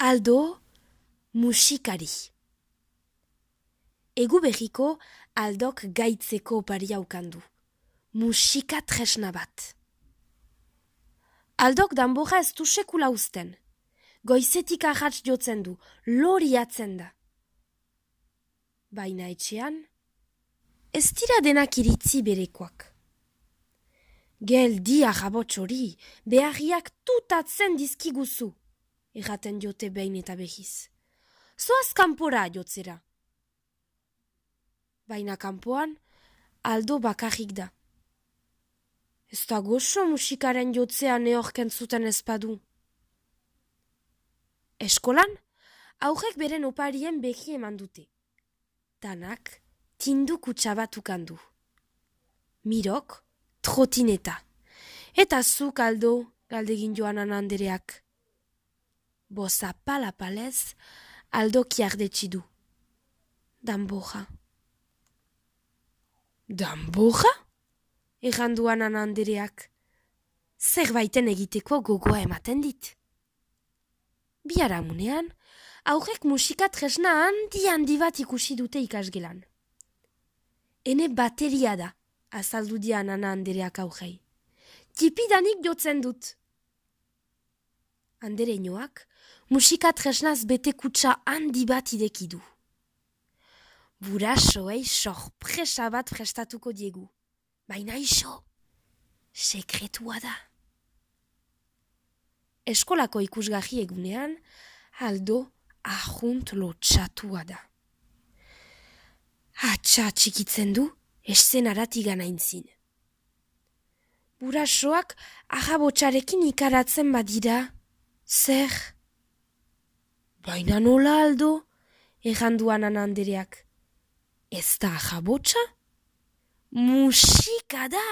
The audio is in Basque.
Aldo musikari. Egu berriko Aldok gaitzeko oparia ukandu. Musika tresna bat. Aldok danborra ez du sekula uzten. Goizetik arrats jotzen du, loriatzen da. Baina etxean, ez dira denak iritzi berekoak. Geldi arrabots hori, beharriak tutatzen dizkiguzu, erraten jote behin eta behiz. Zoaz kanpora jotzera. Baina kanpoan, Aldo bakarrik da. Ez da goxo musikaren jotzea neorken zuten ezpadu. Eskolan, aurrek beren oparien behi eman dute. Danak, tindu kutsabat ukandu. Mirok, trotineta. Eta zuk, Aldo, galdegin Joanan andereak. Boza palapalez, Aldo kiardetsi du. Danborra. Danborra? Erranduan andereak. Zerbaiten egiteko gogoa ematen dit. Biharamunean, aurrek musika tresna handi bat ikusi dute ikasgelan. Ene bateria da, azaldu dian andereak aurrei. Tipidanik jotzen dut. Andereinoak, musika tresnaz bete kutsa handi bat idekidu. Burasoei sorpresa bat prestatuko diegu. Baina iso, sekretua da. Eskolako ikusgarri egunean, Aldo ahunt lotxatua da. Hatsa txikitzen du, eszenarat iganaintzin. Burasoak arrabotsarekin ikaratzen badira, zer? Baina nola, Aldo? Erranduan andereak. Ez da arrabotsa? Musika da!